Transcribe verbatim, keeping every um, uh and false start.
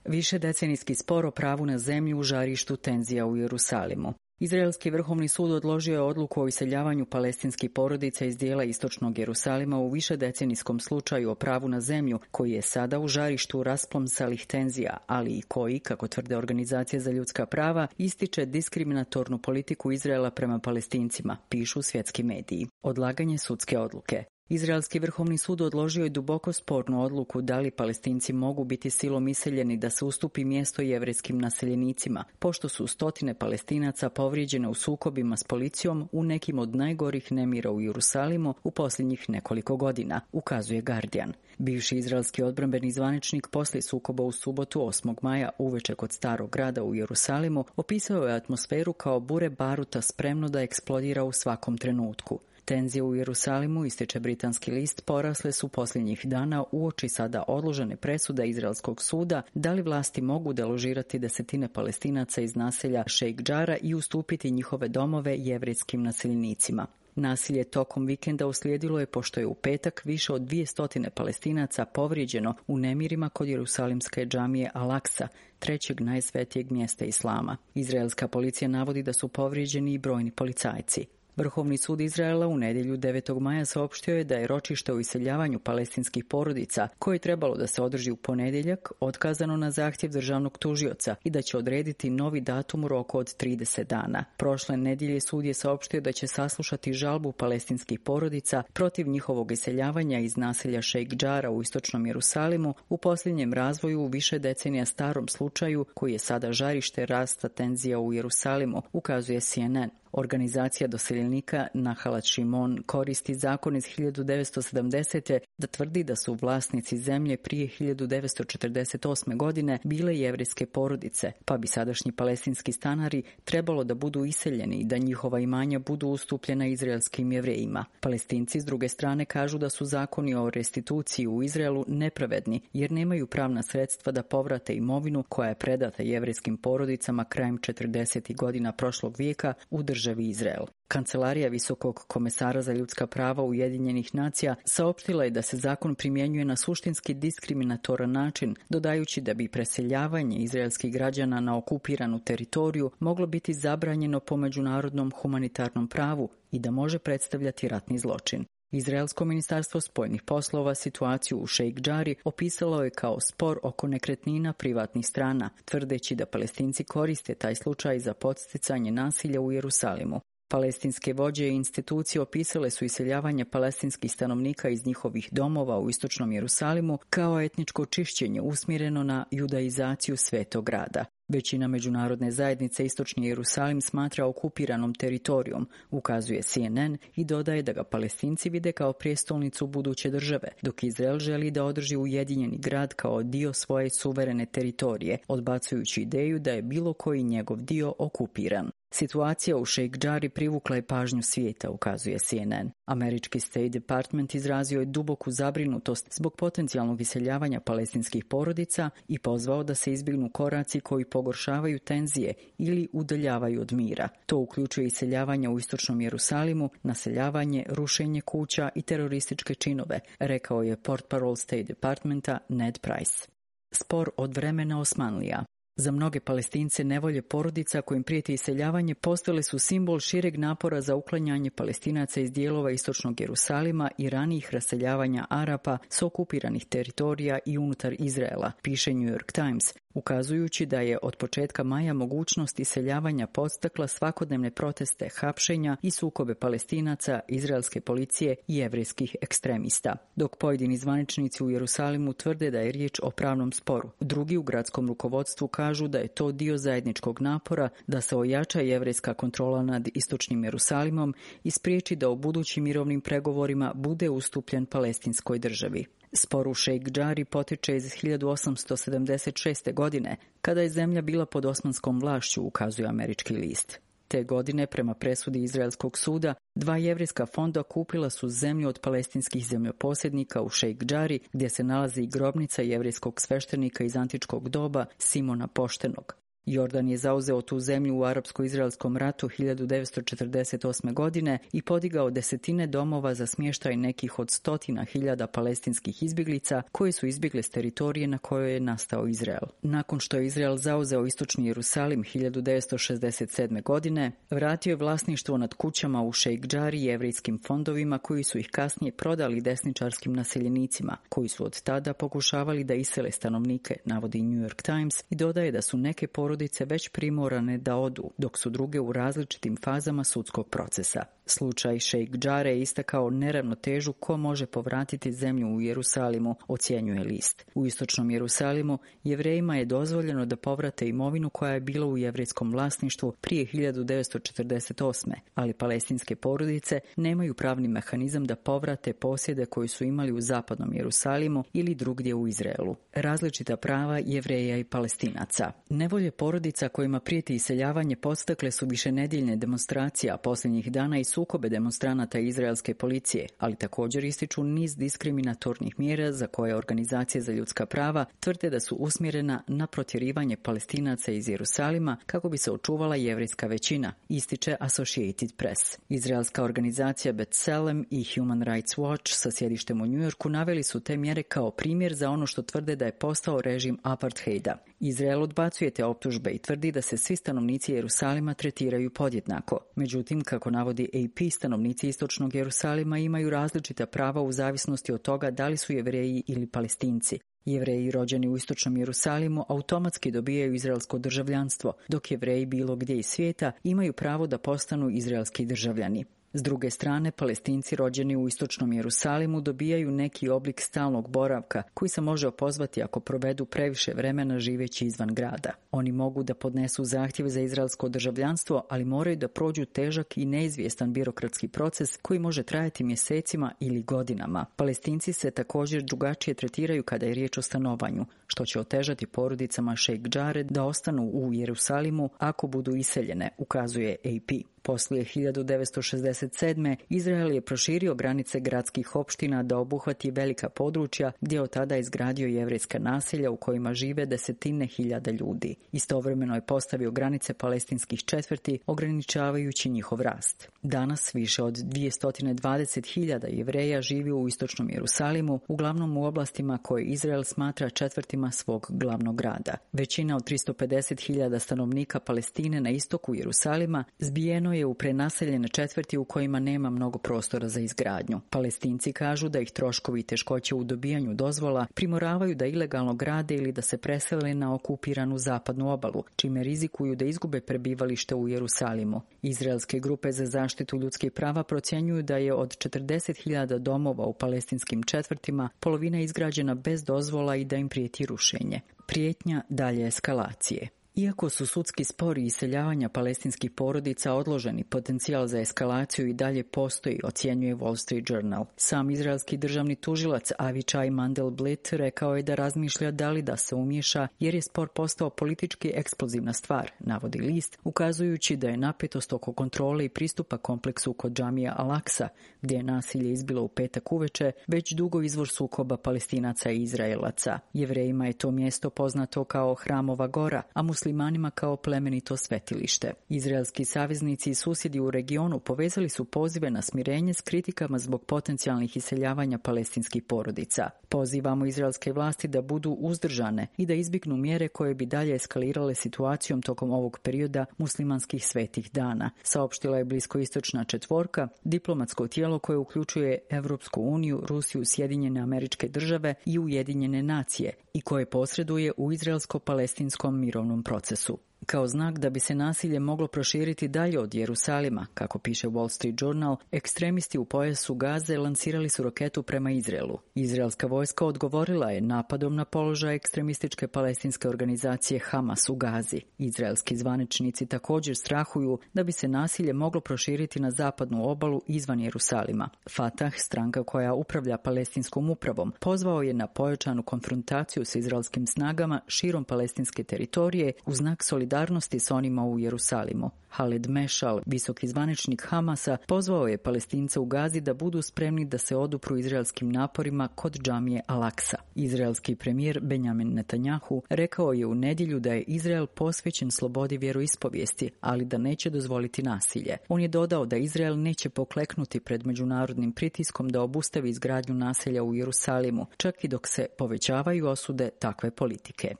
Višedecenijski spor o pravu na zemlju u žarištu tenzija u Jerusalimu. Izraelski vrhovni sud odložio je odluku o iseljavanju palestinskih porodica iz dijela istočnog Jerusalima u višedecenijskom slučaju o pravu na zemlju, koji je sada u žarištu rasplomsalih tenzija, ali i koji, kako tvrde organizacije za ljudska prava, ističe diskriminatornu politiku Izraela prema Palestincima, pišu svjetski mediji. Odlaganje sudske odluke. Izraelski vrhovni sud odložio je duboko spornu odluku da li Palestinci mogu biti silom iseljeni da se ustupi mjesto jevrejskim naseljenicima, pošto su stotine Palestinaca povrijeđene u sukobima s policijom u nekim od najgorih nemira u Jerusalimu u posljednjih nekoliko godina, ukazuje Guardian. Bivši izraelski odbrambeni zvaničnik poslije sukoba u subotu osmog maja uveče kod Starog grada u Jerusalimu opisao je atmosferu kao bure baruta spremno da eksplodira u svakom trenutku. Tenzije u Jerusalimu, ističe britanski list, porasle su posljednjih dana uoči sada odložene presude izraelskog suda da li vlasti mogu deložirati desetine Palestinaca iz naselja Šejk Džara i ustupiti njihove domove jevrejskim naseljenicima. Nasilje tokom vikenda uslijedilo je pošto je u petak više od dvije stotine Palestinaca povrijeđeno u nemirima kod jerusalimske džamije Al-Aksa, trećeg najsvetijeg mjesta islama. Izraelska policija navodi da su povrijeđeni i brojni policajci. Vrhovni sud Izraela u nedjelju devetog maja saopštio je da je ročište o iseljavanju palestinskih porodica, koje je trebalo da se održi u ponedjeljak, otkazano na zahtjev državnog tužioca i da će odrediti novi datum u roku od trideset dana. Prošle nedjelje sud je saopštio da će saslušati žalbu palestinskih porodica protiv njihovog iseljavanja iz naselja Šejk Džara u istočnom Jerusalimu u posljednjem razvoju u više decenija starom slučaju koji je sada žarište rasta tenzija u Jerusalimu, ukazuje C N N. Organizacija doseljenika Nahalat Šimon koristi zakon iz hiljadu devetsto sedamdesete da tvrdi da su vlasnici zemlje prije hiljadu devetsto četrdeset osme godine bile jevrejske porodice, pa bi sadašnji palestinski stanari trebalo da budu iseljeni i da njihova imanja budu ustupljena izraelskim jevrejima. Palestinci s druge strane kažu da su zakoni o restituciji u Izraelu nepravedni jer nemaju pravna sredstva da povrate imovinu koja je predata jevrejskim porodicama krajem četrdesetih godina prošlog vijeka u državi Izrael. Kancelarija Visokog komesara za ljudska prava Ujedinjenih nacija saopštila je da se zakon primjenjuje na suštinski diskriminatoran način, dodajući da bi preseljavanje izraelskih građana na okupiranu teritoriju moglo biti zabranjeno po međunarodnom humanitarnom pravu i da može predstavljati ratni zločin. Izraelsko ministarstvo spoljnih poslova situaciju u Šejk Džari opisalo je kao spor oko nekretnina privatnih strana, tvrdeći da Palestinci koriste taj slučaj za podsticanje nasilja u Jerusalimu. Palestinske vođe i institucije opisale su iseljavanje palestinskih stanovnika iz njihovih domova u istočnom Jerusalimu kao etničko čišćenje usmjereno na judaizaciju svetog grada. Većina međunarodne zajednice istočni Jerusalim smatra okupiranom teritorijom, ukazuje C N N i dodaje da ga Palestinci vide kao prijestolnicu buduće države, dok Izrael želi da održi ujedinjeni grad kao dio svoje suverene teritorije, odbacujući ideju da je bilo koji njegov dio okupiran. Situacija u Šejk Džari privukla je pažnju svijeta, ukazuje C N N. Američki State Department izrazio je duboku zabrinutost zbog potencijalnog iseljavanja palestinskih porodica i pozvao da se izbjegnu koraci koji pogoršavaju tenzije ili udaljavaju od mira. To uključuje iseljavanje u istočnom Jerusalimu, naseljavanje, rušenje kuća i terorističke činove, rekao je portparol State Departmenta Ned Price. Spor od vremena Osmanlija. Za mnoge Palestince nevolje porodica kojim prijeti iseljavanje postale su simbol šireg napora za uklanjanje Palestinaca iz dijelova istočnog Jerusalima i ranijih raseljavanja Arapa s okupiranih teritorija i unutar Izraela, piše New York Times, ukazujući da je od početka maja mogućnost iseljavanja podstakla svakodnevne proteste, hapšenja i sukobe Palestinaca, izraelske policije i jevrejskih ekstremista. Dok pojedini zvaničnici u Jerusalimu tvrde da je riječ o pravnom sporu, drugi u gradskom rukovodstvu kažu da je to dio zajedničkog napora da se ojača jevrejska kontrola nad istočnim Jerusalimom i spriječi da u budućim mirovnim pregovorima bude ustupljen palestinskoj državi. Spor u Šejk Džari potiče iz hiljadu osamsto sedamdeset šeste. godine, kada je zemlja bila pod osmanskom vlašću, ukazuje američki list. Te godine, prema presudi Izraelskog suda, dva jevrejska fonda kupila su zemlju od palestinskih zemljoposjednika u Šejk Džari, gdje se nalazi i grobnica jevrejskog sveštenika iz antičkog doba Simona Poštenog. Jordan je zauzeo tu zemlju u arapsko-izraelskom ratu hiljadu devetsto četrdeset osme. godine i podigao desetine domova za smještaj nekih od stotina hiljada palestinskih izbjeglica koji su izbjegli s teritorije na kojoj je nastao Izrael. Nakon što je Izrael zauzeo istočni Jerusalim hiljadu devetsto šezdeset sedme. godine, vratio je vlasništvo nad kućama u Šejk Džari i jevrijskim fondovima koji su ih kasnije prodali desničarskim naseljenicima, koji su od tada pokušavali da isele stanovnike, navodi New York Times, i dodaje da su neke porodice već primorane da odu, dok su druge u različitim fazama sudskog procesa. Slučaj Šejk Džare je istakao neravnotežu ko može povratiti zemlju u Jerusalimu, ocjenjuje list. U istočnom Jerusalimu Jevrejima je dozvoljeno da povrate imovinu koja je bila u jevrejskom vlasništvu prije hiljadu devetsto četrdeset osme. ali palestinske porodice nemaju pravni mehanizam da povrate posjede koji su imali u zapadnom Jerusalimu ili drugdje u Izraelu. Različita prava Jevreja i Palestinaca. Nevolje porodica kojima prijeti iseljavanje podstakle su višenedjeljne demonstracije, a posljednjih dana i sukobe demonstranata i izraelske policije, ali također ističu niz diskriminatornih mjera za koje organizacije za ljudska prava tvrde da su usmjerena na protjerivanje Palestinaca iz Jerusalima kako bi se očuvala jevrejska većina, ističe Associated Press. Izraelska organizacija B'Tselem i Human Rights Watch sa sjedištem u New Yorku naveli su te mjere kao primjer za ono što tvrde da je postao režim apartheida. Izrael odbacuje te optužbe i tvrdi da se svi stanovnici Jerusalima tretiraju podjednako. Međutim, kako navodi A P, stanovnici istočnog Jerusalima imaju različita prava u zavisnosti od toga da li su Jevreji ili Palestinci. Jevreji rođeni u istočnom Jerusalimu automatski dobijaju izraelsko državljanstvo, dok Jevreji bilo gdje iz svijeta imaju pravo da postanu izraelski državljani. S druge strane, Palestinci rođeni u istočnom Jerusalimu dobijaju neki oblik stalnog boravka koji se može opozvati ako provedu previše vremena živeći izvan grada. Oni mogu da podnesu zahtjeve za izraelsko državljanstvo, ali moraju da prođu težak i neizvjestan birokratski proces koji može trajati mjesecima ili godinama. Palestinci se također drugačije tretiraju kada je riječ o stanovanju, što će otežati porodicama Šejk Džare da ostanu u Jerusalimu ako budu iseljene, ukazuje A P. Poslije hiljadu devetsto šezdeset sedme. Izrael je proširio granice gradskih opština da obuhvati velika područja gdje je od tada izgradio jevrejska naselja u kojima žive desetine hiljada ljudi. Istovremeno je postavio granice palestinskih četvrti, ograničavajući njihov rast. Danas više od dvjesto dvadeset hiljada Jevreja živi u istočnom Jerusalimu, uglavnom u oblastima koje Izrael smatra četvrtima svog glavnog grada. Većina od tristo pedeset hiljada stanovnika Palestine na istoku Jerusalima zbijeno je u prenaseljene četvrti u kojima nema mnogo prostora za izgradnju. Palestinci kažu da ih troškovi i teškoće u dobijanju dozvola primoravaju da ilegalno grade ili da se presele na okupiranu zapadnu obalu, čime rizikuju da izgube prebivalište u Jerusalimu. Izraelske grupe za zaštitu ljudskih prava procjenjuju da je od četrdeset hiljada domova u palestinskim četvrtima polovina izgrađena bez dozvola i da im prijeti rušenje. Prijetnja dalje eskalacije. Iako su sudski spori i iseljavanja palestinskih porodica odloženi, potencijal za eskalaciju i dalje postoji, ocjenjuje Wall Street Journal. Sam izraelski državni tužilac Avichai Mandelblit rekao je da razmišlja da li da se umiješa jer je spor postao politički eksplozivna stvar, navodi list, ukazujući da je napetost oko kontrole i pristupa kompleksu kod džamija Al-Aqsa, gdje je nasilje izbilo u petak uveče, već dugo izvor sukoba Palestinaca i Izraelaca. Jevrejima je to mjesto poznato kao Hramova gora, a muslimanima kao plemenito svetilište. Izraelski saveznici i susjedi u regionu povezali su pozive na smirenje s kritikama zbog potencijalnih iseljavanja palestinskih porodica. Pozivamo izraelske vlasti da budu uzdržane i da izbjegnu mjere koje bi dalje eskalirale situacijom tokom ovog perioda muslimanskih svetih dana, saopštila je bliskoistočna četvorka, diplomatsko tijelo koje uključuje Evropsku uniju, Rusiju, Sjedinjene Američke Države i Ujedinjene nacije i koje posreduje u izraelsko-palestinskom mirovnom procesu. Kao znak da bi se nasilje moglo proširiti dalje od Jerusalima, kako piše Wall Street Journal, ekstremisti u pojasu Gaze lansirali su raketu prema Izraelu. Izraelska vojska odgovorila je napadom na položaj ekstremističke palestinske organizacije Hamas u Gazi. Izraelski zvaničnici također strahuju da bi se nasilje moglo proširiti na zapadnu obalu izvan Jerusalima. Fatah, stranka koja upravlja palestinskom upravom, pozvao je na pojačanu konfrontaciju sa izraelskim snagama širom palestinske teritorije u znak solidarnosti solidarnosti s onima u Jerusalimu. Haled Mešal, visoki zvaničnik Hamasa, pozvao je Palestince u Gazi da budu spremni da se odupru izraelskim naporima kod džamije Al-Aksa. Izraelski premijer Benjamin Netanjahu rekao je u nedjelju da je Izrael posvećen slobodi vjeroispovijesti, ali da neće dozvoliti nasilje. On je dodao da Izrael neće pokleknuti pred međunarodnim pritiskom da obustavi izgradnju naselja u Jerusalimu, čak i dok se povećavaju osude takve politike.